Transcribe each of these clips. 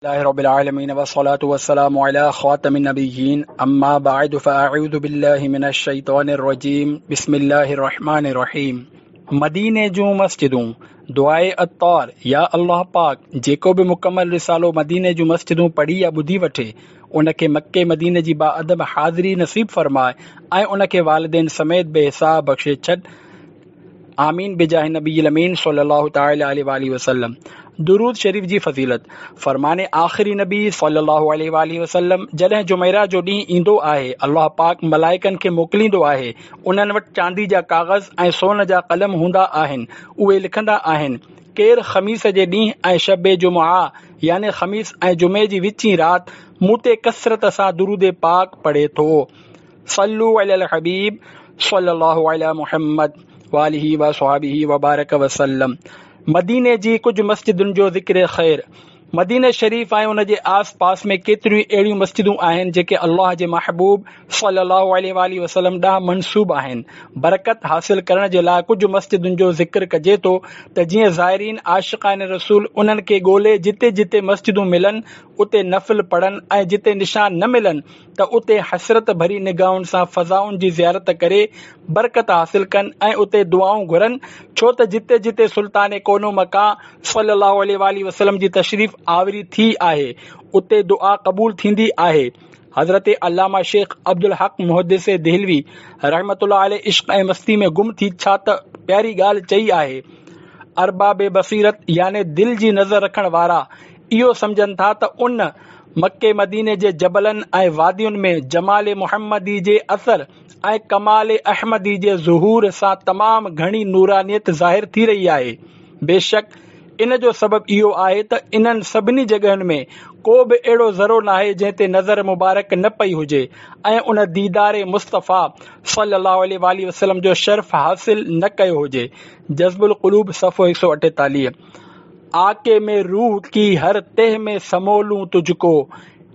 لله رب العالمين والصلاة والسلام على خاتم النبيين أما بعد فأعوذ بالله من الشيطان الرجيم بسم الله الرحمن الرحيم مديني جون مسجدون دعاء عطار يا الله پاڪ جيڪو به مڪمل رسالو مديني جون مسجدون پڙهي يا ٻڌي وٺي ان کي مڪي مديني جي باادب حاضري نصيب فرماء ۽ ان کي والدين سميت بي حساب بخشي ڇڏ آمين بجاه النبي الامين صلي الله تعالي عليه واله وسلم درود شريف جي فضيلت فرمان آخري نبي صلي الله عليه واله وسلم جڏهن جمعرا جو ڏينهن ايندو آهي الله پاڪ ملائڪن کي موڪليندو آهي انهن وٽ چاندي جا ڪاغذ ۽ سون جا قلم هوندا آهن اهي لکندا آهن ڪير خميس جي ڏينهن ۽ شب جمعه يعني خميس ۽ جمعي جي وچين رات مون تي ڪثرت سان درود پاڪ پڙهي ٿو صلو علی الحبيب صلي الله علي محمد واله وصحبه وبارڪ وسلم مديني جي ڪجهه مسجدن جو ذڪر خير مدينه شريف ۽ ان جي آس پاس ۾ ڪيتريون اهڙيون مسجدون آهن جيڪي الله جي محبوب صلي الله عليه واله وسلم ڏانهن منسوب آهن. برڪت حاصل ڪرڻ جي لاء ڪجهه مسجدن جو ذڪر ڪجي ٿو ته جيئن زائرين عاشقان رسول انهن کي ڳولي جتي جتي مسجدون ملن اتي نفل پڙهن ۽ جتي نشان نه ملن ته اتي حسرت ڀري نگاهن سان فضائن جي زيارت ڪري برڪت حاصل ڪن ۽ اتي دعائون گهرن ڇو ته جتي جتي سلطان ڪون و مڪان صلي الله عليه واٰله وسلم جي تشريف آوري ٿي آهي اتي دعا قبول ٿيندي آهي. حضرت علامه شيخ عبدالحق محدث دهلوي رحمة الله عليه عشق ۽ مستي ۾ گم ٿي ڇا ته پياري ڳالهه چئي آهي ارباب بصيرت يعني دل جي نظر رکڻ وارا اهو سمجهن ٿا ته ان مڪي مديني جي جبلن ۽ وادين ۾ جمال محمدي جي اثر ۽ ڪمال احمدي جي ظهور سان تمام گهڻي نورانيت ظاهر ٿي رهي آهي. بيشڪ ان جو سبب اهو آهي ته انهن سڀني جڳهين ۾ ڪو به اهڙو ذرو ناهي جنهن تي نظر مبارڪ نه پئي هجي ۽ ان ديدار مصطفيٰ صلي الله عليه واٰله وسلم جو شرف حاصل نه ڪيو هجي. جذب القلوب صفحو 148. آڪي مين روح ڪي هر تهه مين سمولون تجھ ڪو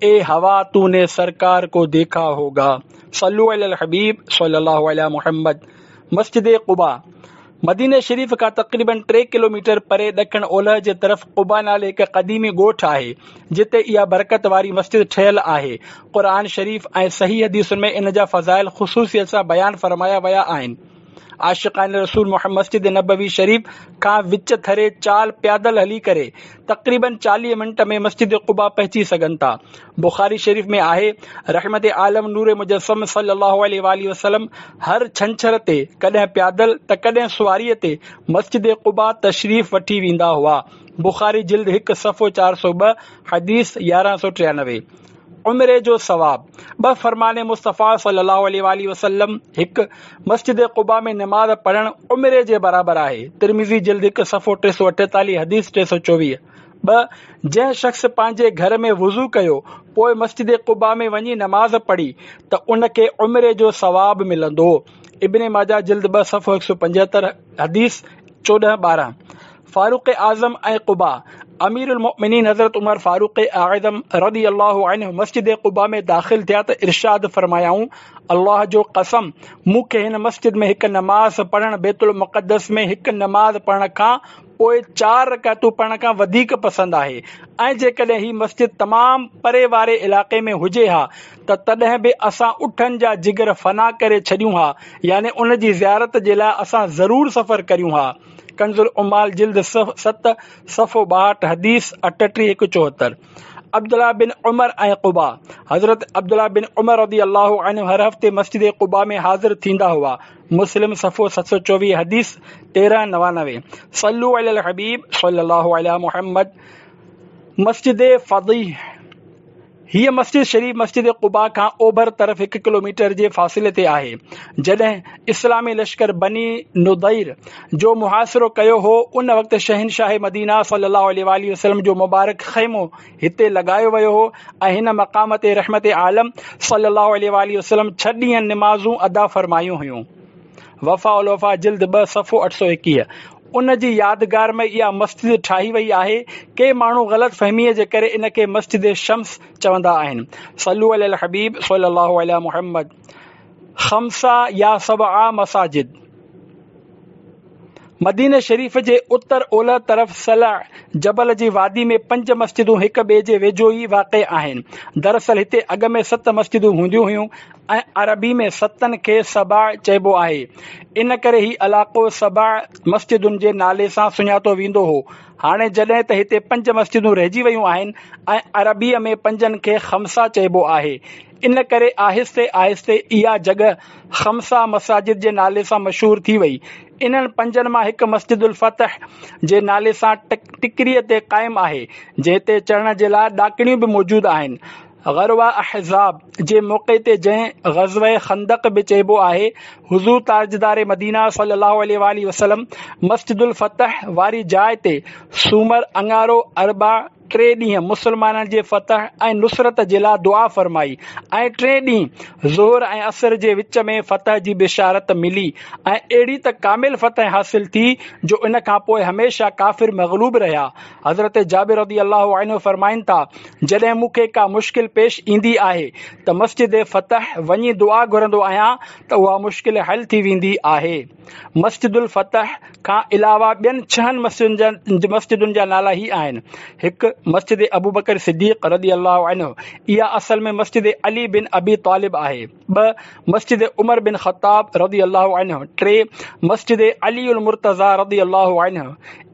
اي هوا تو ني سرڪار ڪو ديکا هوگا صلو علي الحبيب صلي الله علي محمد مسجد قباء مديني شريف کان تقريبن 3 ڪلوميٽر پري ڏکڻ اولهه جي طرف قباء نالي هڪ قديمي ڳوٺ آهي جتي اها برڪت واري مسجد ٺهيل آهي قرآن شريف ۽ صحيح حديثن ۾ ان جا فضائل خصوصيت سان بيان فرمايا ويا آهن عاشقان رسول محمد مسجد نبوي شريف کان وچ ٿري چال پيادل هلي ڪري تقريبن 40 منٽ ۾ مسجد قباء پهچي سگهن ٿا. بخاري شريف ۾ آهي، رحمت عالم نور مجسم صلي الله عليه واٰله وسلم هر ڇنڇر تي ڪڏهن پيادل ته ڪڏهن سواريء تي مسجد قباء تشريف وٺي ويندا هئا. بخاري جلد 1 صفحو 402 حديث 1193. عمري جو ثواب، ٻه فرمان مصطفيٰ صلي الله عليه واٰله وسلم، هڪ، مسجد قباء ۾ نماز پڙهڻ عمري جي برابر آهي، ترمذي جلد 1 صفحو 348 حديث 324. ٻه، جنهن شخص پنهنجي گهر ۾ وضو ڪيو پوء مسجد قباء ۾ وڃي نماز پڙهي ته ان کي عمري جو ثواب ملندو، ابن ماجه جلد 2 صفحو 175 حديث 14 12. فاروق اعظم ۽ قباء، امير المؤمنين حضرت عمر فاروق اعظم رضي الله عنه مسجد قباء ۾ داخل ٿيا ته ارشاد فرمايائون، الله جو قسم! مون کي هن مسجد ۾ هڪ نماز پڙهڻ بيت المقدس ۾ هڪ نماز پڙهڻ کان پوء چار رڪعتون پڙهڻ کان وڌيڪ پسند آهي ۽ جيڪڏهن هي مسجد تمام پري واري علائقي ۾ هجي ها ته تڏهن به اسان اٺن جا جگر فنا ڪري ڇڏيون ها يعني ان جي زيارت جي لاء اسان ضرور سفر ڪريون ها. ڪنز العمال جلد 7 صفحو 62 حديث 38 هڪ 74 عبدالله بن عمر ۽ قباء، حضرت عبدالله بن عمر رضي الله عنه هر هفتي مسجد قباء ۾ حاضر ٿيندا هئا، مسلم صفحو 724 حديث 1399 صلو علی الحبيب صلي الله علي محمد مسجد فضيح. هيء مسجد شريف مسجد قباء کان اوڀر طرف هڪ ڪلوميٽر جي فاصلي تي آهي. جڏهن اسلامي لشڪر بني نضير جو محاصرو ڪيو هو، ان وقت شهنشاهه مدينه صلي الله عليه واٰله وسلم جو مبارڪ خيمو هتي لڳايو ويو هو ۽ هن مقام تي رحمت عالم صلي الله عليه واٰله وسلم ڇهه ڏينهن نمازون ادا فرمايون هيون. وفاء الوفا جلد 2 صفحو 821 ان جي يادگار ۾ اها مسجد ٺاهي وئي آهي. ڪي ماڻهو غلط فهميء جي ڪري ان کي مسجد شمس چوندا آهن. صلو علي الحبيب صلي الله علي محمد خمسه يا سبعه مساجد. مديني شريف جي اتر اولهه طرف صلع جبل جي وادي ۾ پنج مسجدون هڪ ٻئي جي ويجهو ئي واقع آهن. دراصل هتي اڳ ۾ ست مسجدون هونديون هيون ۽ عربي ۾ ستن کي سبع چئبو آهي. ان ڪري هي علائقو سبع مسجدن جي نالي سان سڃاتو ويندو هو. هاڻي جڏهن ته هتي پنج مسجدون رهجي ويون آهن ۽ عربيء ۾ پنجن کي خمسه چئبو آهي. ان ڪري آهستي آهستي اها جڳهه خمسه مساجد جي نالي سان مشهور ٿي وئي. انهن پنجن مان هڪ مسجد الفتح جي نالي سان ٽڪريء تي قائم آهي، جنهن تي چڙهڻ جي لاء ڏاڪڻيون به موجود آهن. غروه احزاب جي موقعي تي جنهن غزوه خندق به چئبو آهي، حضور تاجدار مدينه صلي الله عليه واٰله وسلم مسجد الفتح واري جاء تي سومر، اڱارو، اربع، ٽي ڏينهن مسلمانن جي فتح ۽ نصرت جي لاء دعا فرمائي ۽ ٽئين ڏينهن ظهر ۽ عصر جي وچ ۾ فتح جي بشارت ملي ۽ اهڙي ته ڪامل فتح حاصل ٿي جو ان کان پوء هميشه ڪافر مغلوب رهيا. حضرت جابر رضي الله عنه فرمائن ٿا، جڏهن مون کي ڪا مشڪل پيش ايندي آهي ته مسجد فتح وڃي دعا گهرندو آهيان ته اها مشڪل حل ٿي ويندي آهي. مسجد الفتح کان علاوه ٻين ڇهن مسجدن جا نالا هي آهن، هڪ. مسجد ابوبڪر صديق رضي الله عنه، اها اصل ۾ مسجد علي بن ابي طالب آهي. ٻه. مسجد عمر بن خطاب رضي الله عنه. ٽي. مسجد علي المرتضيٰ رضي الله عنه،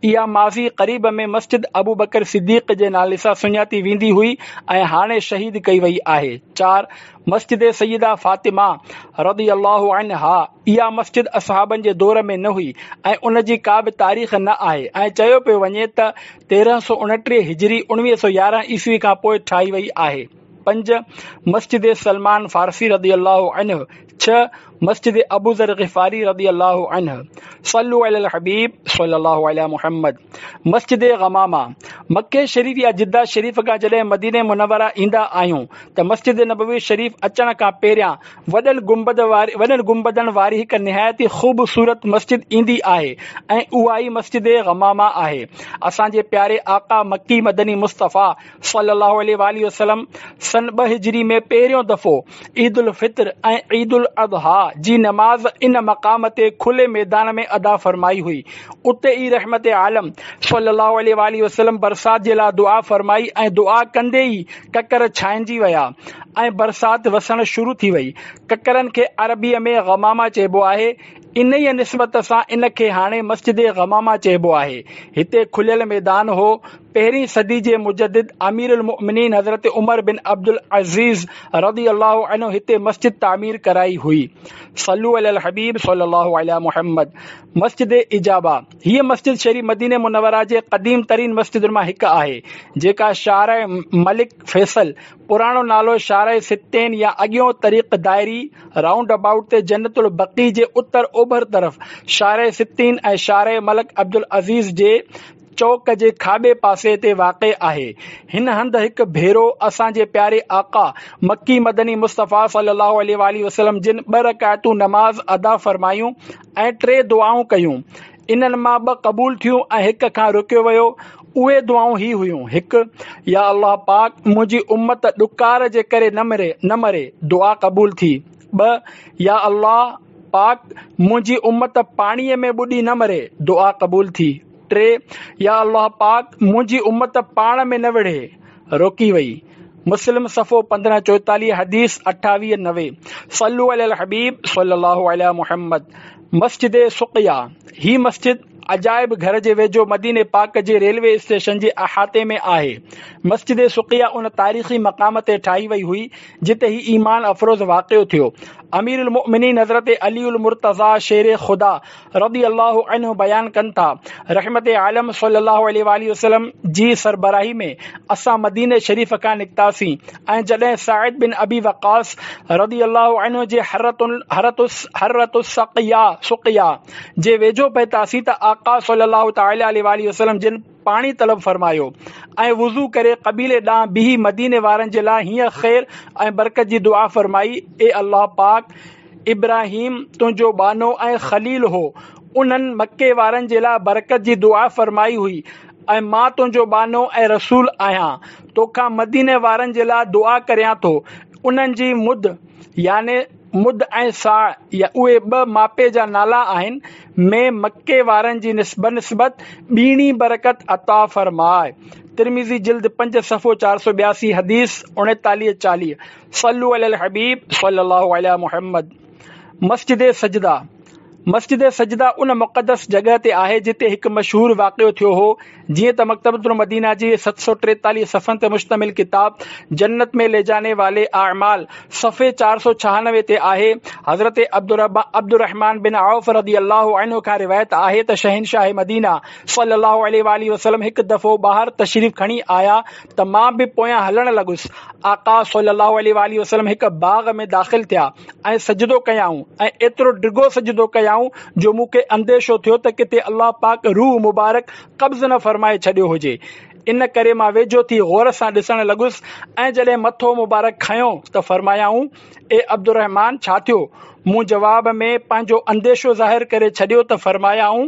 اها ماضي قريب ۾ مسجد ابوبڪر صديق جي نالي سان سڃاتي ويندي هئي ۽ هاڻي شهيد ڪئي وئي آهي. چار. مسجد سيده فاطمه رضي الله عنها، اها مسجد اصحابن جي دور ۾ نه هئي ۽ ان جي ڪا به تاريخ نه آهي ۽ چيو پيو وڃي ته 1329 هجري 1911 عيسوي کان پوء ٺاهي وئي آهي. پنج، مسجد سلمان فارسي رضي الله عنه ڇهه، مسجد ابوذر غفاري رضي الله عنه صلو علي الحبيب صلي الله علي محمد مسجد غمامه مڪي شريف يا جده شريف کان جڏهن مديني منوره ايندا آهيون ته مسجد نبوي شريف اچڻ کان پهريان وڏن گنبد واري وڏن گنبدن واري هڪ نهايت ئي خوبصورت مسجد ايندي آهي ۽ اها ئي مسجد غمامه آهي. اسان جي پياري آقا مڪي مدني مصطفيٰ صلي الله عليه واٰله وسلم سن ٻه هجري ۾ پهريون دفعو عيد الفطر ۽ عيد الاضحيٰ جي نماز ان مقام تي کلي ميدان ۾ ادا فرمائي هئي. اتي ئي رحمت عالم صلي الله عليه واٰله وسلم برسات جي لاء دعا فرمائي ۽ دعا ڪندي ئي ڪڪر ڇانئجي ويا ۽ برسات وسڻ شروع ٿي وئي. ڪڪرن کي عربيء ۾ غمامه چئبو آهي. انهيء نسبت سان ان کي هاڻي مسجد غمامه چئبو آهي. هتي کليل ميدان هو. پهرين صدي جي مجدد امير المؤمنين حضرت عمر بن عبدالعزيز رضي الله عنه هتي مسجد تعمير ڪرائي هئي. صلو علي الحبيب صلي الله علي محمد. مسجد اجابه، هيء مسجد شريف مديني منوره جي قديم ترين مسجدن مان هڪ آهي، جيڪا شارع ملڪ فيصل، پراڻو نالو شارع ستين يا اڳيون طريق دائري، رائونڊ ابائوٽ، تي جنت البقيع جي اتر اوڀر طرف شارع ستين ۽ شارع ملڪ عبدالعزيز جي چوڪ جي کاٻي پاسي تي واقع آهي. هن هنڌ هڪ ڀيرو اسان جي پياري آقا مڪي مدني مصطفيٰ صلي الله عليه واٰله وسلم جن ٻه رڪعتون نماز ادا فرمايون ۽ ٽي دعائون ڪيون. انهن مان ٻه قبول ٿيون ۽ هڪ کان روڪيو ويو. اهي دعائون هي هيون، هڪ، يا الله پاڪ منهنجي امت ڏڪار جي ڪري نه مري، دعا قبول ٿي. ٻه، يا الله پاڪ منهنجي امت پاڻيء ۾ ٻڏي نه مري، دعا قبول ٿي. ٽي، يا الله پاڪ منهنجي امت پاڻ ۾ نه وڙهي، روڪي وئي. مسلم صفحو 15 44 حديث 28 90 صلو علي الحبيب صلي الله علي محمد مسجد سقيا هي مسجد عجائب گهر جي ويجهو مديني پاڪ جي ريلوي اسٽيشن جي احاطي ۾ آهي. مسجد سقيا ان تاريخي مقام تي ٺاهي وئي هئي جتي هي ايمان افروز واقعو ٿيو. امير المؤمنين حضرت علي المرتضيٰ شير خدا رضي الله عنه بيان ڪن ٿا، رحمت عالم صلي الله عليه واٰله وسلم جي سربراهي ۾ اسان مديني شريف کان نڪتاسين ۽ جڏهن سعد بن ابي وقاص رضي الله عنه جي حرة السقيا سقيا جي ويجهو پهتاسين ته آقا صلي الله تعالٰي عليه واٰله وسلم جن پاڻي طلب فرمايو ۽ وضو ڪري قبيلي ڏانهن بيهي مديني وارن جي لاء هيئن خير ۽ برڪت جي دعا فرمائي، اي الله پاڪ! ابراهيم تنهنجو ٻانهو ۽ خليل هو، انهن مڪي وارن جي لاء برڪت جي دعا فرمائي هئي ۽ مان تنهنجو ٻانهو ۽ رسول آهيان، توکان مديني وارن جي لاء دعا ڪريان ٿو، انهن جي مد يعني. مد ۽ صاع يا اهي ٻه ماپي جا نالا آهن، ۾ مڪي وارن جي بنسبت ٻيڻي برڪت عطا فرماء. ترمذي جلد پنج صفحو 482 حديث 39 40 صلو علي الحبيب صلي الله علي محمد مسجد سجده مسجد سجده ان مقدس جڳهه تي آهي جتي هڪ مشهور واقعو ٿيو هو. جيئن ته مڪتبة المدينه جي 743 صفحن تي مشتمل ڪتاب جنت ۾ لي جاني والي اعمال صفحي 496 تي آهي، حضرت عبدالرحمان بن عوف رضي الله عنه کان روايت آهي ته شهنشاهه مدينه صلي الله عليه واٰله وسلم هڪ دفعو ٻاهر تشريف کڻي آيا ته مان به پويان هلڻ لڳس. آقا صلي الله عليه واٰله وسلم هڪ باغ ۾ داخل ٿيا. ۽ سجدو ڪيائون ۽ ايترو ڊگهو سجدو ڪيائون جو مون کي انديشو ٿيو ته ڪٿي الله پاڪ روح مبارڪ قبض نه فرمائي ڇڏيو هجي. ان ڪري مان ويجهو ٿي غور سان ڏسڻ لڳس ۽ جڏهن مٿو مبارڪ کنيو ته فرمايائون، اي عبدالرحمان ڇا ٿيو؟ مون جواب ۾ پنهنجو انديشو ظاهر ڪري ڇڏيو ته فرمايائون،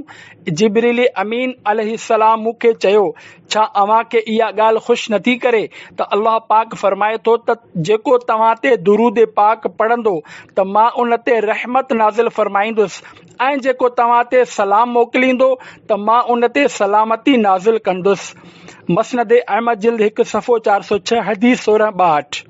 جبريل امين عليه السلام مون کي چيو، ڇا اوهان کي اها ڳالهه خوش نٿي ڪري ته الله پاڪ فرمائي ٿو ته جيڪو توهان تي درود پاڪ پڙهندو ته مان ان تي رحمت نازل فرمائيندس ۽ جيڪو توهان تي سلام موڪليندو ته مان ان تي سلامتي نازل ڪندس. مسند احمد جلد هڪ صفحو 406 حديث 16 62.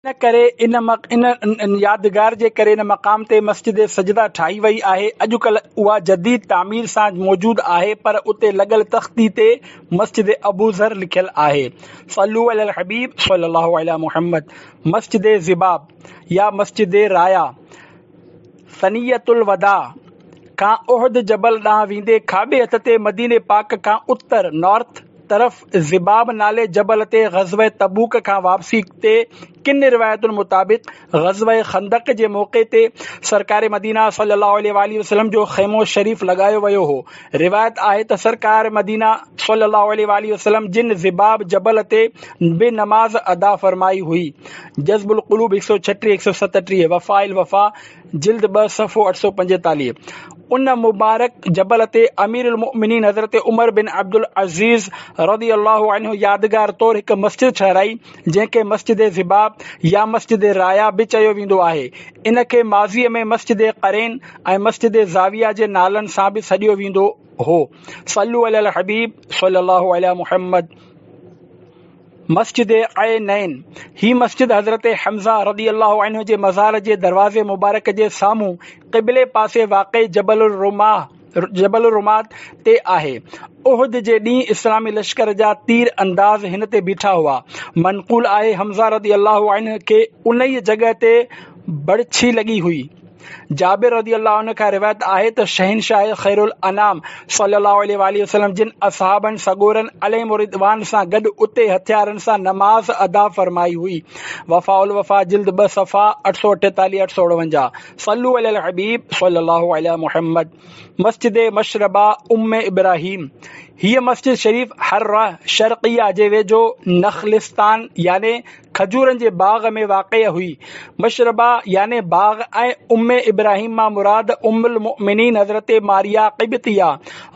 ان ڪري ان يادگار جي ڪري ان مقام تي مسجد سجده ٺاهي وئي آهي. اڄڪلهه اها جديد تعمير سان موجود آهي پر اتي لڳل تختي تي مسجد ابوذر لکيل آهي. صلو علی الحبيب صلي الله علي محمد مسجد ضباب يا مسجد رايا ثنية الوداع کان احد جبل ڏانهن ويندي کاٻي هٿ تي مديني پاڪ کان اتر، North، طرف ضباب نالي جبل تي غزوه تبوڪ کان واپسي تي ڪن روايتن مطابق غزوه خندق جي موقعي تي سرڪار مدينه صلي الله عليه واٰله وسلم جو خيمو شريف لڳايو ويو هو. روايت آهي ته سرڪار مدينه صلي الله عليه واٰله وسلم جن ضباب جبل تي به نماز ادا فرمائي هئي. جذب القلوب 136 137 وفاء الوفا جلد 2 صفحو 845 ان مبارڪ جبل تي امير المؤمنين حضرت عمر بن عبدالعزيز رضي الله عنه يادگار طور هڪ مسجد ٺهرائي، جنهن کي مسجد ضباب يا مسجد رايا به چيو ويندو آهي. ان کي ماضيء ۾ مسجد قرين ۽ مسجد زاويه جي نالن سان به سڏيو ويندو هو. صلو علي الحبيب صلي الله علي محمد. مسجد عينين، هي مسجد حضرت حمزه رضي الله عنه جي مزار جي دروازي مبارڪ جي سامهون قبلي پاسي واقع جبل الرماة جبل الرماة تي آهي. احد جي ڏينهن اسلامي لشڪر جا تير انداز هن تي بيٺا هئا. منقول آهي حمزه رضي الله عنه کي انهيء جڳهه تي بڙڇي لڳي هئي. جابر رضي الله عنه کان روايت آهي ته شهنشاهه خير الانام صلي الله عليه واٰله وسلم جن اصحابن سڳورن عليهم الرضوان سان گڏ اتي هٿيارن سان نماز ادا فرمائي هئي. وفاء الوفا جلد 2 صفحا 848 849 صلو علي الحبيب صلي الله علي محمد مسجد مشربه ام ابراهيم هيء مسجد شريف حره شرقيه جي ويجهو نخلستان يعني کجورن جي باغ ۾ واقع هئي. مشربه يعني باغ ۽ ام ابراهيم مان مراد ام المؤمنين حضرت ماريه قبطيه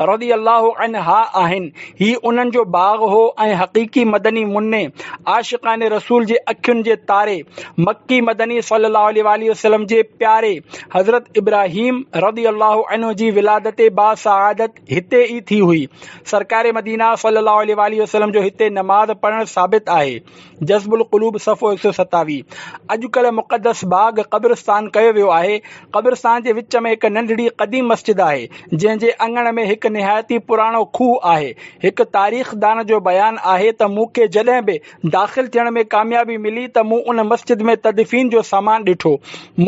رضي الله عنها آهن. هي انهن جو باغ هو ۽ حقيقي مدني مني، عاشقان رسول جي اکين جي تاري، مڪي مدني صلي الله عليه واٰله وسلم جي پياري حضرت ابراهيم رضي الله عنه جي ولادت باسعادت هتي ئي ٿي هئي. سرڪار مدينه صلي الله عليه واٰله وسلم جو هتي نماز پڙهڻ ثابت آهي. جذب القلوب صفحو 127. اڄڪلهه مقدس باغ قبرستان ڪيو ويو آهي. قبرستان جي وچ ۾ هڪ ننڍڙي قديم مسجد آهي، جنهن جي اڱڻ ۾ هڪ نهايت ئي پراڻو کوهه آهي. هڪ تاريخدان جو بيان آهي ته مون کي جڏهن به داخل ٿيڻ ۾ ڪاميابي ملي ته مون ان مسجد ۾ تدفين جو سامان ڏٺو.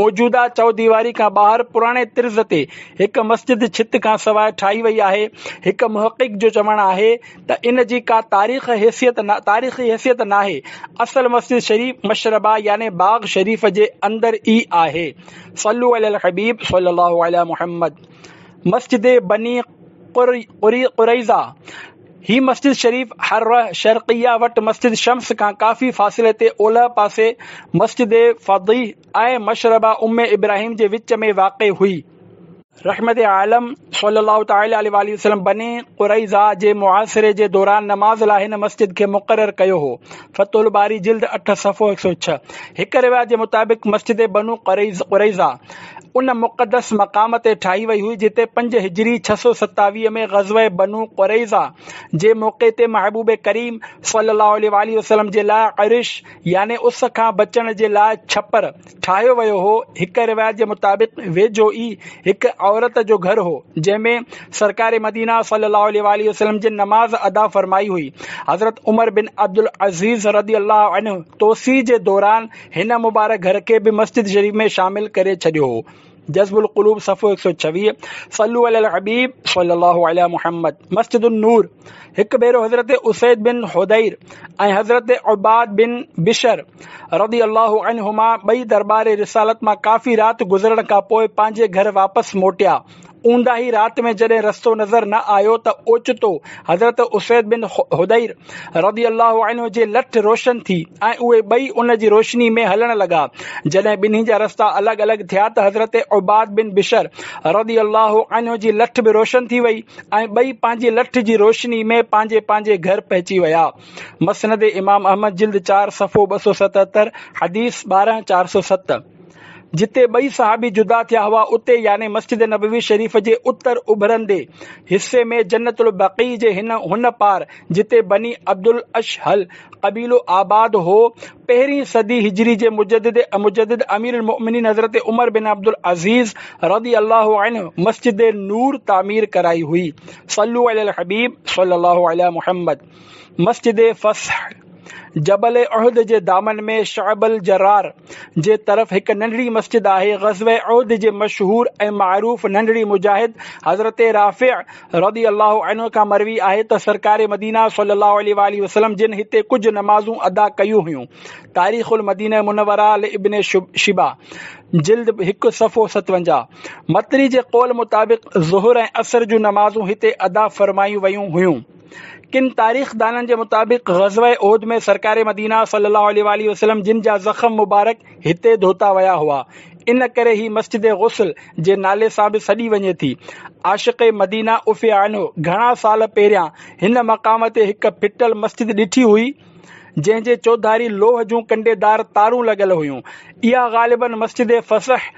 موجوده چؤديواري کان ٻاهر پراڻي طرز تي هڪ مسجد ڇت کان سواء ٺاهي وئي آهي. هڪ محقق جو چوڻ آهي ته ان جي ڪا تاريخ حيثيت تاريخي حيثيت ناهي، اصل مسجد شريف مشربه يعني باغ شريف جي اندر ئي آهي. صلو علي الحبيب صلي الله علي محمد مسجد بني قريظه، هي مسجد شريف حره شرقيه وٽ مسجد شمس کان ڪافي فاصلي تي اولهه پاسي مسجد فضيح ۽ مشربه ام ابراهيم جي وچ ۾ واقع هئي. رحمت عالم صلّي الله تعالٰي عليه واٰله وسلّم بني قريظه جي محاصري جي دوران نماز لاء هن مسجد کي مقرر ڪيو هو. فتح الباري جلد 8 صفحو 106. هڪ روايت جي مطابق مسجد بنو قريظه ان مقدس مقام تي ٺاهي وئي هئي جتي 5 هجري 627 ۾ غزوه بنو قريظه جي موقعي تي محبوب ڪريم صلّي الله عليه واٰله وسلّم جي لاء عرش يعني اس کان بچڻ جي لاء ڇپر ٺاهيو ويو هو. هڪ روايت جي مطابق ويجهو ئي هڪ عورت جو گهر هو، جنهن ۾ سرڪار مدينه صلي الله عليه واٰله وسلم جن نماز ادا فرمائي هئي. حضرت عمر بن عبدالعزيز رضي الله عنه توسيع جي دوران هن مبارڪ گهر کي به مسجد شريف ۾ شامل ڪري ڇڏيو هو. جذب القلوب صفحو 126 صلو علی الحبيب صلي الله علي محمد مسجد النور هڪ ڀيرو حضرت اسيد بن حضير ۽ حضرت عباد بن بشر رضي الله عنهما ٻئي درٻار رسالت مان ڪافي رات گذرڻ کان پوء پنهنجي گهر واپس موٽيا. اونداهي رات ۾ جڏهن رستو نظر نه آيو ته اوچتو حضرت اسيد بن حضير رضي الله عنه جي لٺ روشن ٿي ۽ اهي ٻئي ان جي روشني ۾ هلڻ لڳا. جڏهن ٻنهي جا رستا الڳ الڳ ٿيا ته حضرت عباد بن بشر رضي الله عنه جي لٺ به روشن ٿي وئي ۽ ٻئي پنهنجي لٺ جي روشني ۾ پنهنجي پنهنجي گهر پهچي ويا. مسند امام احمد جلد 4 صفحو 277 حديث 12407. جتي ٻئي صحابي جدا ٿيا هئا اتي يعني مسجد نبوي شريف جي اتر اڀرندي حصي ۾ جنت البقيع جي هن پار جتي بني عبدالاشهل قبيلو آباد هو پهرين صدي هجري جي مجدد امير المؤمنين حضرت عمر بن عبدالعزيز رضي الله عنه مسجد نور تعمير ڪرائي هئي. صلو علي الحبيب صلي الله علي محمد. مسجد فصح جبل احد جي دامن ۾ شعب الجرار جي طرف هڪ ننڍڙي مسجد آهي. غزوه احد جي مشهور ۽ معروف ننڍڙي مجاهد حضرت رافع رضي الله عنه کان مروي آهي ته سرڪار مدينه صلي الله عليه واٰله وسلم جن هتي ڪجهه نمازون ادا ڪيون هيون. تاريخ المدينه منوره لابن شيبه جلد 1 صفحو 57. متري جي قول مطابق ظهر ۽ عصر جون نمازون هتي ادا فرمايون ويون هيون. ڪن تاريخدانن جي مطابق غزوه احد ۾ سرڪار مدينه صلي الله عليه واٰله وسلم جن جا زخم مبارڪ هتي ڌوتا ويا هئا، ان ڪري هي مسجد غسل جي نالي سان به سڏي وڃي ٿي. عاشق مدينه عفي عنه گهڻا سال پهريان هن مقام تي هڪ ڦٽل مسجد ڏٺي هئي، جنهن جي چوڌاري لوهه جون ڪنڊيدار تارون لڳل هيون. اها غالباً مسجد فصح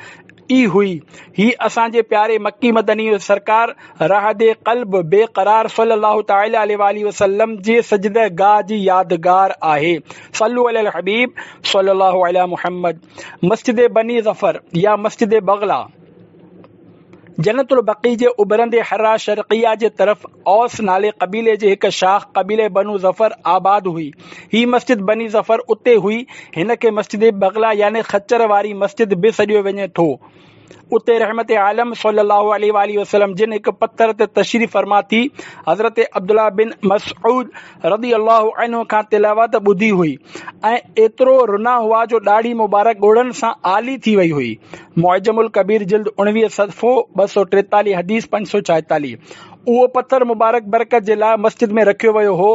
ئي هئي. هي اسان جي پياري مڪي مدني سرڪار راحت قلب بي قرار صلي الله تعالي عليه واٰله وسلم جي سجده گاهه جي يادگار آهي. صلو علي الحبيب صلي الله علي محمد. مسجد بني ظفر يا مسجد بغلا جنت البقيع جي اڀرندي حرا شرقيه جي طرف اوس نالي قبيلي جي هڪ شاخ قبيلي بنو ظفر آباد هئي. هي مسجد بني ظفر اتي هئي. هن کي مسجد بغلا يعني خچر واري مسجد به سڏيو وڃي ٿو. اتي رحمت عالم صلي الله عليه واٰله وسلم جن هڪ پٿر تي تشريف فرما ٿي حضرت عبدالله بن مسعود رضي الله عنه کان تلاوت ٻڌي هئي ۽ ايترو رنا هئا جو ڏاڙهي مبارڪ ڳوڙهن سان آلي ٿي وئي هئي. معجم الڪبير جلد 19 صفحو 243 حديث 546. اهو پٿر مبارڪ برڪت جي لاء مسجد ۾ رکيو ويو هو.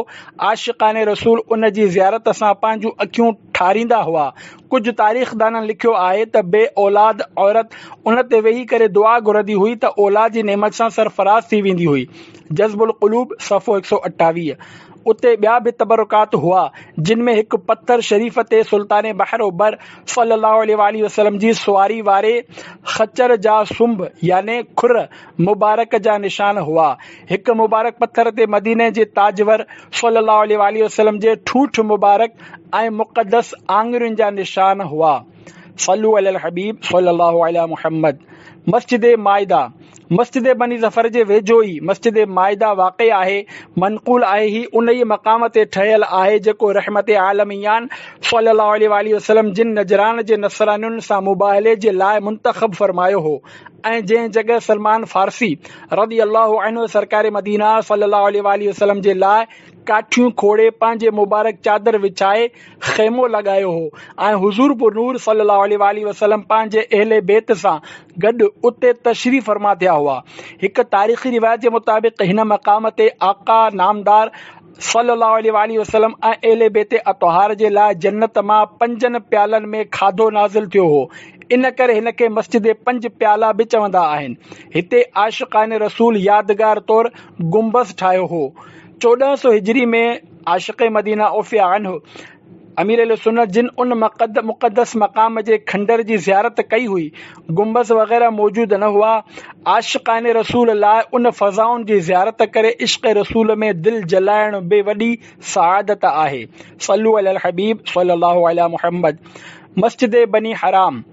عاشقان رسول ان جي زيارت سان پنهنجون اکيون ٺاريندا هئا. ڪجهه تاريخدانن لکيو آهي ته بي اولاد عورت ان تي ويهي ڪري دعا گهرندي هئي ته اولاد جي نعمت سان سرفراز ٿي ويندي هئي. جذب القلوب، صفحو 128. اتي ٻيا به تبرڪات هئا، جن ۾ هڪ پٿر شريف تي سلطان بحر و بر صلي الله عليه واٰله وسلم جي سواري واري خچر جا سنب يعني کر مبارڪ جا نشان هئا. هڪ مبارڪ پٿر تي مديني جي تاجور صلي الله عليه واٰله وسلم جي ٺونٺ مبارڪ ۽ مقدس آڱرين جا نشان هئا. صلو علي الحبيب صلي الله علي محمد. مسجد مائده مسجد بني ظفر جي ويجهو ئي مسجد مائده واقع آهي. منقول آهي هي انهيء مقام تي ٺهيل آهي جيڪو رحمت عالميان صلي الله عليه واٰله وسلم جن نجران جي نصرانين سان مباهلي جي لاء منتخب فرمايو هو ۽ جنهن جڳهه سلمان فارسي رضي الله عنه سرڪار مدينه صلي الله عليه واٰله وسلم جي لاء ڪاٺيون کوڙي پنهنجي مبارڪ چادر وڇائي خيمو لڳايو هو ۽ حضور پرنور صلي الله عليه واٰله وسلم پنهنجي اهل بيت سان گڏ اتي تشريف فرما ٿيا هئا. هڪ تاريخي روايت جي مطابق هن مقام تي آقا نامدار صلي الله عليه واٰله وسلم ۽ اهل بيت اطهار جي لاء جنت مان پنجن پيالن ۾ کاڌو نازل ٿيو هو. ان ڪري هن کي مسجد پنج پيالا به چوندا آهن. هتي عاشقان رسول يادگار طور گنبذ ٺاهيو هو. 1400 هجري ۾ عاشق مدينه عفي عنه امير اهل سنت جن ان مقدس مقام جي کنڊر جي زيارت ڪئي هئي. گنبذ وغيره موجود نه هئا. عاشقان رسول لاء ان فضائن جي زيارت ڪري عشق رسول ۾ دل جلائڻ به وڏي سعادت آهي. صلو علي الحبيب صلي الله علي محمد. مسجد بني حرام،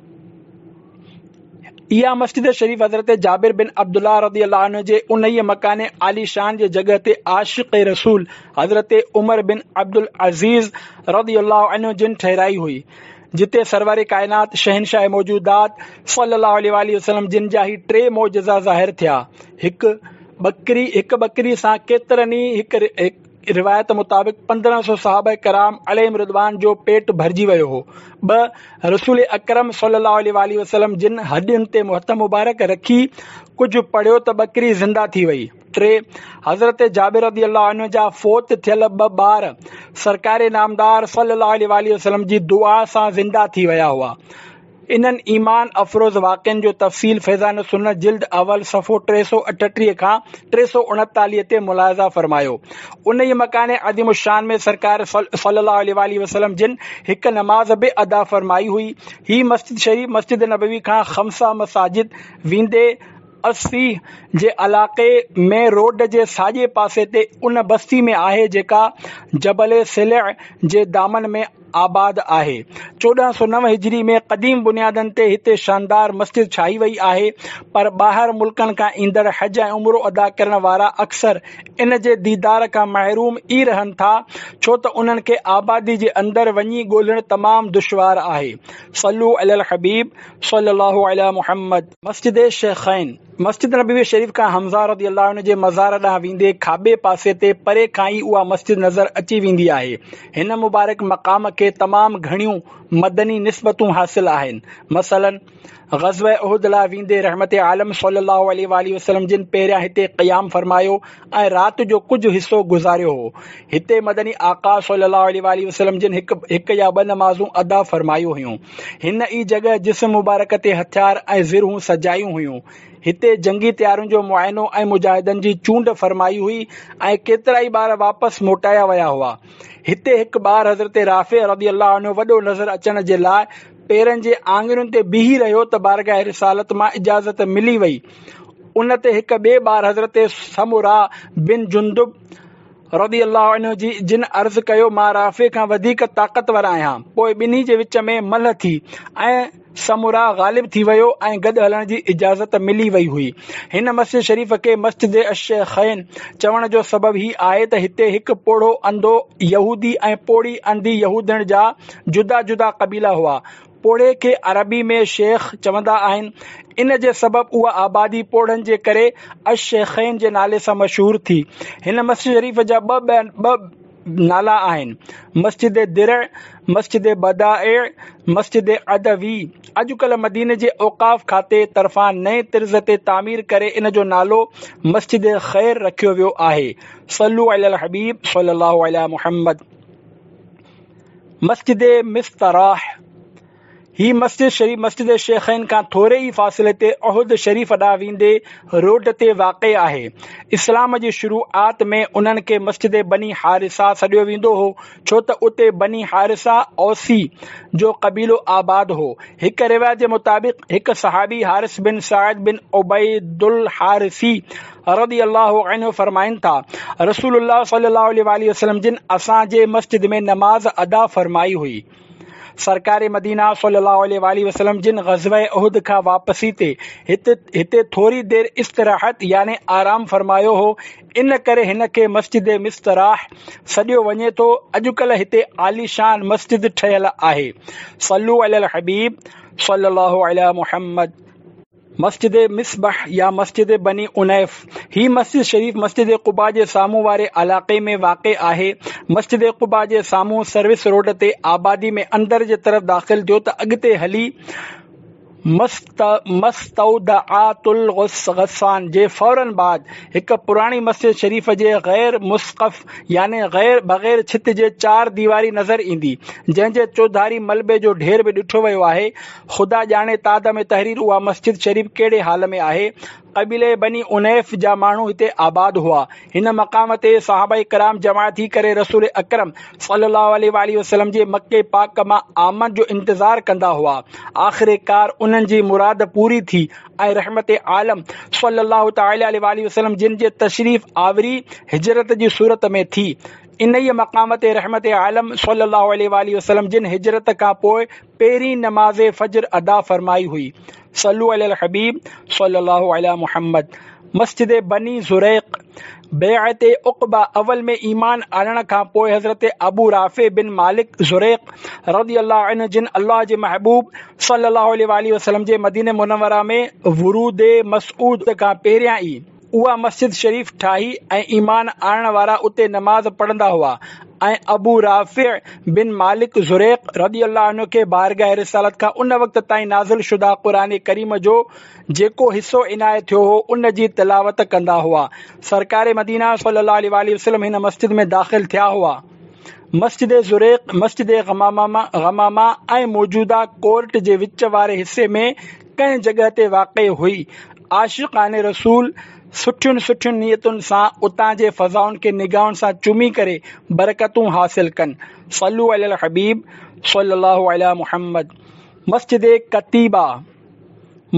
اها مسجد شريف حضرت جابر بن عبدالله رضي الله عنه جي انهيء مڪان عاليشان جي جڳهه تي عاشق رسول حضرت عمر بن عبدالعزيز رضي الله عنه جن ٺهرائي هئي، جتي سرور ڪائنات شهنشاهه موجودات صلي الله عليه واٰله وسلم جن جا هي ٽي معجزا ظاهر ٿيا، هڪ ٻڪري هڪ ٻڪري سان ڪيترن ئي هڪ روايت مطابق 1500 صحابه ڪرام عليهم الرضوان جو پيٽ ڀرجي ويو هو. ٻه، رسول اڪرم صلي الله عليه واٰله وسلم جن هڏين تي هٿ مبارڪ رکي ڪجهه پڙهيو ته ٻڪري زنده ٿي وئي. ٽي، حضرت جابر رضي الله عنه جا فوت ٿيل ٻه ٻار سرڪار نامدار صلي الله عليه واٰله وسلم جي دعا سان زنده ٿي ويا هئا. انهن ايمان افروز واقعن جو تفصيل فيضان السنت جلد اول صفحو 338 کان 339 تي ملاحظه فرمايو. انهيء مڪان عظيم الشان ۾ سرڪار صلي الله عليه واٰله وسلم جن هڪ نماز به ادا فرمائي هئي. هي مسجد شريف مسجد نبوي کان خمسه مساجد ويندي الصيح جي علائقي ۾ روڊ جي ساڄي پاسي تي ان بستي ۾ آهي جيڪا جبل سلع جي دامن ۾ آباد آهي. 1409 هجري ۾ قديم بنيادن تي هتي شاندار مسجد ٺاهي وئي آهي پر ٻاهر ملڪن کان ايندڙ حج ۽ عمرو ادا ڪرڻ وارا اڪثر ان جي ديدار کان محروم ئي رهن ٿا ڇو ته انهن کي آبادي جي اندر وڃي ڳولڻ تمام دشوار آهي. صلو علي الحبيب صلي الله علي محمد. مسجد شيخين، مسجد نبوي شريف کان حمزه رضي الله عنه جي مزار ڏانهن ويندي کاٻي پاسي تي پري کان ئي اها مسجد نظر اچي ويندي آهي. هن مبارڪ مقام کي تمام گهڻيون مدني نسبتون حاصل آهن. مثلاً، غزوه احد لاء ويندي رحمت عالم صلي الله عليه واٰله وسلم جن پهريان هتي قيام فرمايو ۽ رات جو ڪجهه حصو گذاريو هو. هتي مدني آقا صلي الله عليه واٰله وسلم جن هڪ هڪ يا ٻه نمازون ادا فرمايون هيون. هن ئي جڳهه جسم مبارڪ تي هٿيار ۽ زرهون سجايون هيون. هتي جنگي تيارين جو معائنو ۽ مجاهدن جي چونڊ فرمائي هئي ۽ ڪيترائي ٻار واپس موٽايا ويا هئا. هتي هڪ ٻار حضرت رافع رضي الله عنه وڏو نظر اچڻ جي لاء پيرن جي آڱرين تي بيهي رهيو ته بارگاهه رسالت مان اجازت ملي وئي. ان تي هڪ ٻئي ٻار حضرت سمره بن جندب رضي الله عنه جي جن عرض ڪيو مان رافع کان وڌيڪ طاقتور آهيان. پوء ٻنهي جي وچ ۾ ملهه ٿي ۽ سمره غالب ٿي ويو ۽ گڏ هلڻ جي اجازت ملي وئي هئي. هن مسجد شريف کي مسجد الشيخين چوڻ جو سبب هي آهي ته هتي هڪ پوڙهو انڌو يهودي ۽ پوڙهي انڌي يهودڻ جا جدا جدا قبيلا هئا. پوڙهي کي عربي ۾ شيخ چوندا آهن، ان جي سبب اها آبادي پوڙهن جي ڪري الشيخين جي نالي سان مشهور ٿي. هن مسجد شريف جا ٻه نالا آهن، مسجد درع، مسجد بدائع، مسجد عدوي. اڄڪلهه مديني جي اوقاف کاتي طرفان نئين طرز تي تعمير ڪري ان جو نالو مسجد خير رکيو ويو آهي. صلو علی الحبيب صلي الله علي محمد. مسجد مستراح، هي مسجد شريف مسجد شيخين کان ٿوري ئي فاصلي تي احد شريف ڏانهن ويندي روڊ تي واقع آهي. اسلام جي شروعات ۾ انهن کي مسجد بني حارثه سڏيو ويندو هو، ڇو ته اتي بني حارثه اوسي جو قبيلو آباد هو. هڪ روايت جي مطابق هڪ صحابي حارث بن سعد بن عبيد الحارثي رضي الله عنه فرمائن ٿا، رسول الله صلي الله عليه واٰله وسلم جن اسان جي مسجد ۾ نماز ادا فرمائي هئي. سرڪار مدينه صلي الله عليه واٰله وسلم جن غزوه احد کان واپسي تي هتي ٿوري دير استراحت يعني آرام فرمايو هو، ان ڪري هن کي مسجد مستراح سڏيو وڃي ٿو. اڄڪلهه هتي عاليشان مسجد ٺهيل آهي. صلو علي الحبيب صلي الله علي محمد. مسجد مصبح يا مسجد بني انيف، هي مسجد شريف مسجد قباء جي سامهون واري علائقي ۾ واقع آهي. مسجد قباء جي سامهون سروس روڊ تي آبادي ۾ اندر جي طرف داخل ٿيو ته اڳتي هلي مستودعات الغسان جي فوراً بعد هڪ پراڻي مسجد شريف جي غير مسقف يعني بغير ڇت جي چار ديواري نظر ايندي، جنهن جي چوڌاري ملبي جو ڍير به ڏٺو ويو آهي. خدا ڄاڻي ته عدم تحرير اها مسجد شريف ڪهڙي حال ۾ آهي. قبيلي بني عنيف جا ماڻهو هتي آباد هئا. هن مقام تي صحابه ڪرام جمع ٿي ڪري رسول اڪرم صلي الله عليه واٰله وسلم جي مڪي پاڪ مان آمد جو انتظار ڪندا هئا. آخرڪار انهن جي مراد پوري ٿي ۽ رحمت عالم صلي الله تعالٰي عليه واٰله وسلم جن جي تشريف آوري هجرت جي صورت ۾ ٿي. انهيء مقام تي رحمت عالم صلي الله عليه واٰله وسلم جن هجرت کان پوء پهرين نماز فجر ادا فرمائي هئي. صلو علي الحبيب صلي الله علي محمد مسجد بني زريق بيعت عقبه اول ۾ ايمان آڻڻ کان پوء حضرت ابو رافع بن مالڪ زريق رضي الله عنه جن الله جي محبوب صلي الله عليه واٰله وسلم جي مدينه منوره ۾ ورود مسعود کان پهريان ئي اها مسجد شريف ٺاهي ۽ ايمان آڻڻ وارا اتي نماز پڙهندا هئا ۽ ابو رافع بن مالڪ زريق رضي الله عنه کي بارگاهه رسالت کان ان وقت تائين نازل شده قرآن ڪريم جو جيڪو حصو عنايت ٿيو هو ان جي تلاوت ڪندا هئا. سرڪار مدينه صلي الله عليه واٰله وسلم هن مسجد ۾ داخل ٿيا هئا. مسجد زريق مسجد غمامه ۽ موجوده ڪورٽ جي وچ واري حصي ۾ ڪنهن جڳهه تي واقع هئي. عاشقان رسول سٺين سٺين نيتن سان اتان جي فضائن کي نگاهن سان چمي ڪري برڪتون حاصل ڪن. صلو علي الحبيب صلي الله علي محمد مسجد قتيبه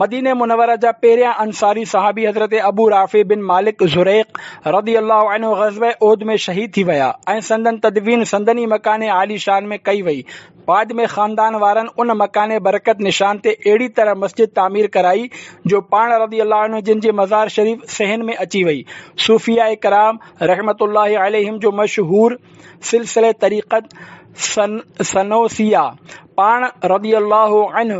مدينه منوره جا پهريان انصاري صحابي حضرت ابو رافع بن مالڪ زريق رضي الله عنه غزوه احد ۾ شهيد ٿي ويا ۽ سندن تدفين سندن ئي مڪان عالي شان ۾ ڪئي وئي. بعد ۾ خاندان وارن ان مڪان برڪت نشان تي اهڙي طرح مسجد تعمير ڪرائي جو پاڻ رضي الله عنه جن جي مزار شريف صحن ۾ اچي وئي. صوفياء ڪرام رحمة الله عليهم جو مشهور سلسله طريقت سنوسيه پاڻ رضي الله عنه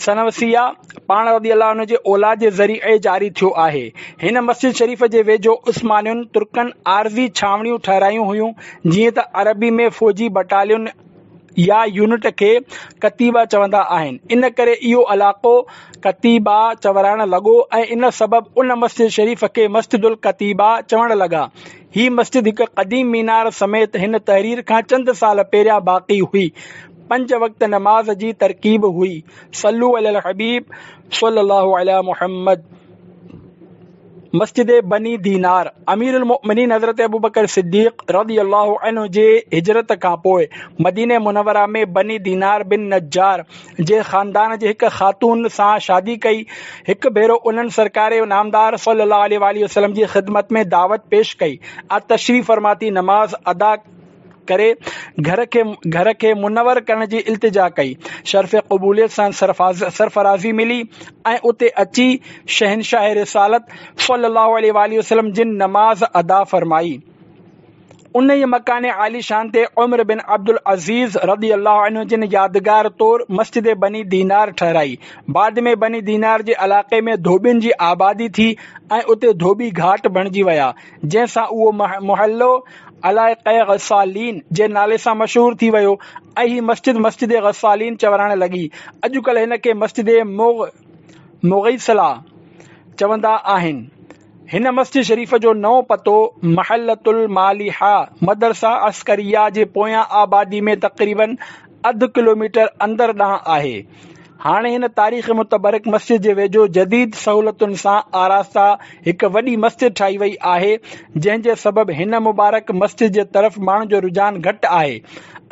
سنوسيه پاڻ رضي الله عنه جي اولاد جي ذريعي جاري ٿيو آهي. هن مسجد شريف جي ويجهو عثمانين ترڪن عارضي ڇانوڻيون ٺهرايون هيون، جيئن ته عربي ۾ فوجي بٽالين يا يونٽ کي ڪتيبه چوندا آهن، ان ڪري اهو علائقو ڪتيبه چورائڻ لڳو ۽ ان سبب ان مسجد شريف کي مسجد الڪتيبه چوڻ لڳا. هي مسجد هڪ قديم مينار سميت هن تحرير کان چند سال پهريان باقي هئي. پنج وقت نماز جي ترڪيب هئي. صلو علی الحبيب صلي الله علي محمد مسجد بني دينار امير المؤمنين حضرت ابوبڪر صديق رضي الله عنه جي هجرت کان پوء مدينه منوره ۾ بني دينار بن نجار جي خاندان جي هڪ خاتون سان شادي ڪئي. هڪ ڀيرو انهن سرڪار نامدار صلي الله عليه واٰله وسلم جي خدمت ۾ دعوت پيش ڪئي ۽ تشريف فرما ٿي نماز ادا ڪري گهر کي منور ڪرڻ جي التجا ڪئي. شرف قبوليت سان سرفرازي ملي ۽ اتي اچي شهنشاهه رسالت صلي الله عليه واٰله وسلم جن نماز ادا فرمائي. انهيء مڪان عاليشان تي عمر بن عبدالعزيز رضي الله عنه جن يادگار طور مسجد بني دينار ٺهرائي. بعد ۾ بني دينار جي علائقي ۾ ڌوٻين جي آبادي ٿي ۽ اتي ڌوٻي گهاٽ بڻجي ويا، جنهن سان اهو محلو علائقه غسالين جي نالي سان مشهور ٿي ويو ۽ هي مسجد مسجد غسالين چورائڻ لڳي. اڄڪلهه هن کي مسجد مغيثله چوندا آهن. هن مسجد شريف جو نئون پتو محلة المالحه مدرسه عسڪريه جي پويان آبادي ۾ تقريباً اڌ ڪلوميٽر اندر ڏانهن آهي. هاڻي هن تاريخي متبرڪ مسجد جي ويجهو جديد سهولتن سان آراسته هڪ وڏي مسجد ٺاهي وئي آهي، جنهن جي سبب هن مبارڪ مسجد جي طرف ماڻهن جو رجحان گهٽ آهي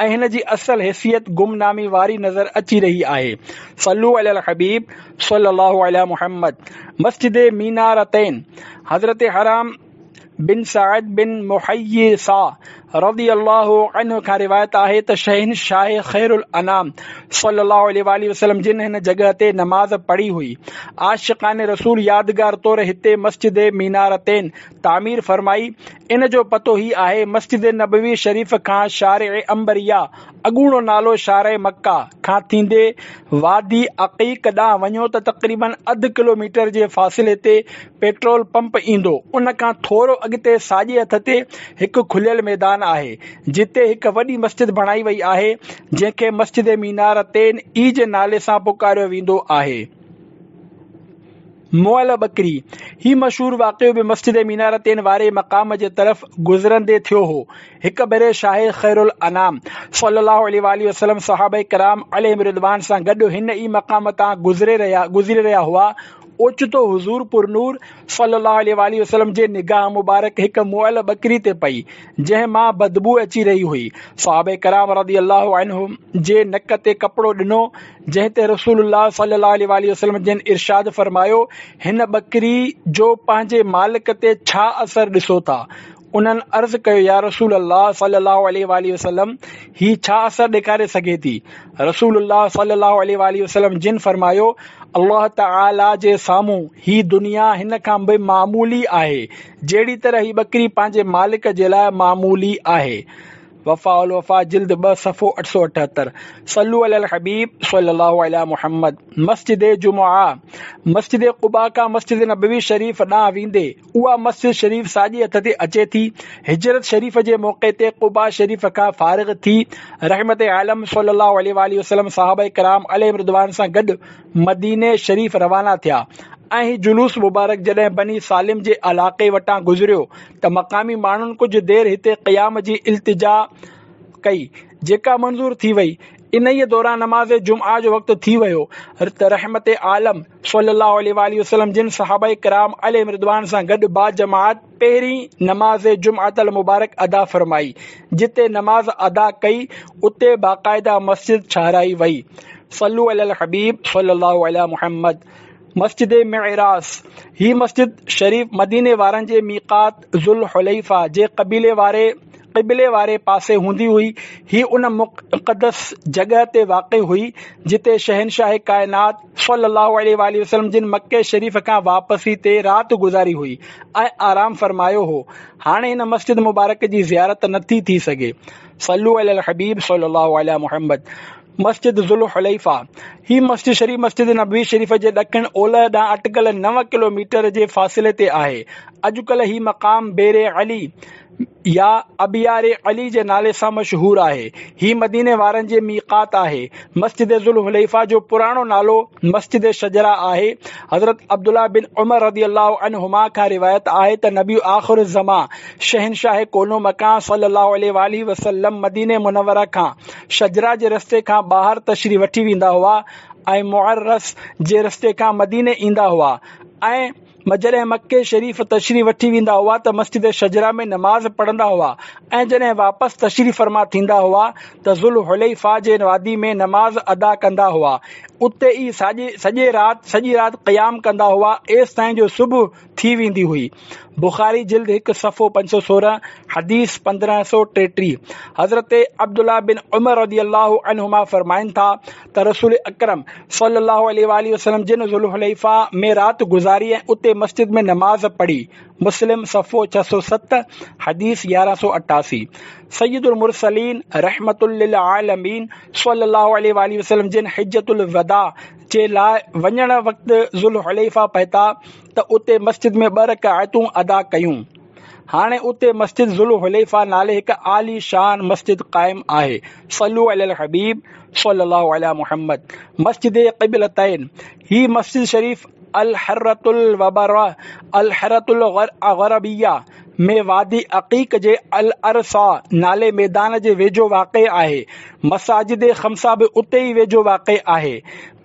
۽ هن جي اصل حيثيت گمنامي واري نظر اچي رهي آهي. صلو علي الحبيب صلي الله علي محمد مسجد مينارتين حضرت حرام بن سعد بن محيصه رضي الله عنه کان روايت آهي ته شهنشاهه خير الانام صلي الله عليه واٰله وسلم جن هن جڳهه تي نماز پڙهي هئي. عاشقان رسول يادگار طور هتي مسجد مينارتين تعمير فرمائي. ان جو پتو هي آهي، مسجد نبوي شريف کان شارع عنبريه، اڳوڻو نالو شارع مڪه، کان ٿيندي وادي عقيق ڏانهن وڃو ته تقريباً اڌ ڪلوميٽر جي فاصلي تي پيٽرول پمپ ايندو، ان کان ٿورو اڳتي ساڄي هٿ تي هڪ کليل ميدان ميدان آهي، جتي هڪ وڏي مسجد بڻائي وئي آهي، جنهن کي مسجد مينارتين ئي جي نالي سان پڪاريو ويندو آهي. مئل ٻڪري، هي مشهور واقعو به مسجد مينارتين واري مقام جي طرف گذرندي ٿيو هو. هڪ ڀيري شاهه خيرالانام صلي الله عليه واٰله وسلم صحابه ڪرام عليهم الرضوان سان گڏ هن ئي مقام تان گذري رهيا هئا، اوچتو حضور پرنور صلي الله عليه واٰله وسلم جي نگاهه مبارڪ هڪ مئل ٻڪري تي پئي، جنهن مان بدبوء اچي رهي هئي. صحابه ڪرام رضي الله عنهم جي نڪ تي ڪپڙو ڏنو، جنهن تي رسول الله صلي الله عليه واٰله وسلم جن ارشاد فرمايو، هن ٻڪري جو پنهنجي مالڪ تي ڇا اثر ڏسو ٿا؟ انهن عرض ڪيو، يا رسول الله صلي الله عليه واٰله وسلم هي ڇا اثر ڏيکاري سگهي ٿي؟ رسول الله صلي الله عليه واٰله وسلم جن فرمايو، الله تعالي جي سامهون هي دنيا هن کان به معمولي آهي، جهڙي طرح هي ٻڪري پنهنجي مالڪ جي لاء معمولي آهي. وفاء الوفا جلد 2 صفحو 878 صلو علی الحبيب صلي الله علي محمد مسجد جمعه مسجد قباء کان مسجد نبوي شريف ڏانهن ويندي اها مسجد شريف ساڄي هٿ تي اچي ٿي. هجرت شريف جي موقعي تي قباء شريف کان فارغ ٿي رحمت عالم صلي الله عليه واٰله وسلم صحابه ڪرام عليهم الرضوان سان گڏ مديني شريف روانا ٿيا ۽ هي جلوس مبارڪ جڏهن بني سالم جي علاقي وٽان گذريو ته مقامي ماڻهن ڪجهه دير هتي قيام جي التجا ڪئي جيڪا منظور ٿي وئي. انهيء دوران نماز جمعه جو وقت ٿي ويو ته رحمت عالم صلي الله عليه واٰله وسلم جن صحابه ڪرام عليهم الرضوان سان گڏ باجماعت پهرين نماز جمعة المبارڪ ادا فرمائي، جتي نماز ادا ڪئي اتي باقاعده مسجد ٺهرائي وئي. صلو علي الحبيب صلي الله علي محمد. مسجد معراس، هي مسجد شريف مديني وارن جي ميقات ذوالحليفه جي قبيلي واري قبلي واري پاسي هوندي هئي. هي ان مقدس جڳهه تي واقع هئي، جتي شهنشاهه ڪائنات صلي الله عليه واٰله وسلم جن مڪي شريف کان واپسي تي رات گذاري هئي ۽ آرام فرمايو هو. هاڻي هن مسجد مبارڪ جي زيارت نٿي ٿي سگهي. صلو علي الحبيب صلي الله علي محمد. مسجد ذوالحليفه، هي مسجد شريف مسجد نبوي شريف جي ڏکڻ اولهه ڏانهن اٽڪل نو ڪلو ميٽر جي فاصلي تي آهي. اڄڪلهه هي مقام بير علي يا ابيار علي جي نالي سان مشهور آهي. هي مديني وارن جي ميقات آهي. مسجد ذوالحليفه جو پراڻو نالو مسجد شجره آهي. حضرت عبدالله بن عمر رضي الله عنهما کان روايت آهي ته نبي آخر الزمان شهنشاهه ڪون و مڪان صلي الله عليه واٰله وسلم مديني منوره کان شجره جي رستي کان ٻاهر تشريف وٺي ويندا هئا ۽ معرس جي رستي کان مديني ايندا هئا ۽ جڏهن مڪي شريف تشريف وٺي ويندا هئا ته مسجد شجره ۾ نماز پڙهندا هئا ۽ جڏهن واپس تشريف فرما ٿيندا هئا ته ذوالحليفه جي وادي ۾ نماز ادا ڪندا هئا اتي ئي سڄي رات قيام ڪندا هئا ايستائين جو صبح ٿي ويندي هئي. بخاري جلد هڪ صفحو 516 حديث 1533 حضرت عبدالله بن عمر رضي الله عنهما فرمائن ٿا ته رسول اڪرم صلي الله عليه واٰله وسلم جن ذوالحليفه ۾ رات گذاري ۽ اتي مسجد ۾ نماز پڙهي. مسلم صفحو 607 حديث 1188 سيد المرسلين رحمة للعالمين صلي الله عليه واٰله وسلم جن حجة الوداع جي لاء وڃڻ وقت ذوالحليفه پهتا ته اتي مسجد ۾ ٻه رڪعتون ادا ڪيون. هاڻي اتي مسجد ذوالحليفه نالي هڪ عالي شان مسجد قائم آهي. صلو علي الحبيب صلي الله علي محمد. مسجد قبلتين، هي مسجد شريف الحرة الوبره الحرة الغربيه ۾ وادي عقيق جي العرصه نالي ميدان جي ويجهو واقع آهي. مساجد خمسه به اتي ئي ويجهو واقع آهي.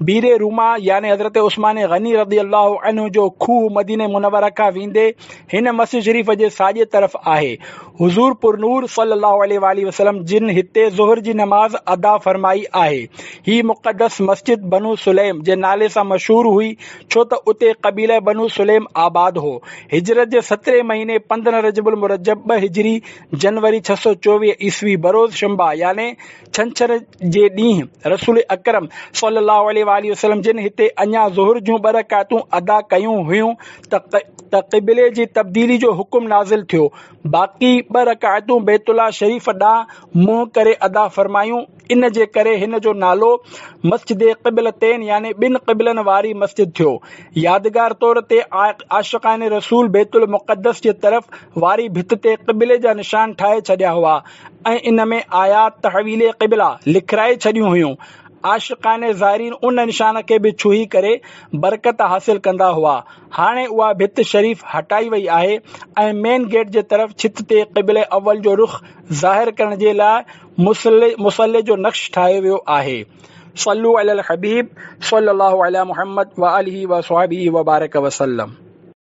بير روما يعني حضرت عثمان غني رضي الله عنه جو کوهه مدينه منوره کان ويندي هن مسجد شريف جي ساڄي طرف آهي. حضور پرنور صلي الله عليه واٰله وسلم جن هتي ظهر جي نماز ادا فرمائي آهي. هي مقدس مسجد بنو سليم جي نالي سان مشهور هئي ڇو ته اتي قبيله بنو سليم آباد هو. هجرت جي سترهين مهيني 15 رجب المرجب ٻه هجري جنوري 624 عيسوي بروز شنبه يعني ڇنڇر جي ڏينهن رسول اڪرم صلي الله عليه واٰله وسلم جن هتي اڃا ظهر جون ٻه رڪعتون ادا ڪيون هيون ته قبلي جي تبديلي جو حڪم نازل ٿيو. باقي ٻه رڪعتون بيت الله شريف ڏانهن منهن ڪري ادا فرمايون. ان جي ڪري هن جو نالو مسجد قبلتين يعني ٻن قبلن واري مسجد ٿيو. يادگار طور تي عاشقان رسول بيت المقدس جي طرف واري ڀت تي قبلي جا نشان ٺاهي ڇڏيا هئا ۽ ان ۾ آيات تحويل قبله لکرائي ڇڏيون هيون. عاشقان زائرين ان نشان کي به ڇهي ڪري برڪت حاصل ڪندا هئا. هاڻي اها ڀت شريف هٽائي وئي آهي ۽ مين گيٽ جي طرف ڇت تي قبله اول جو رخ ظاهر ڪرڻ جي لاء مصلي جو نقش ٺاهيو ويو آهي. صلو علي الحبيب صلي الله علي محمد وآله وصحبه وبارڪ وسلم.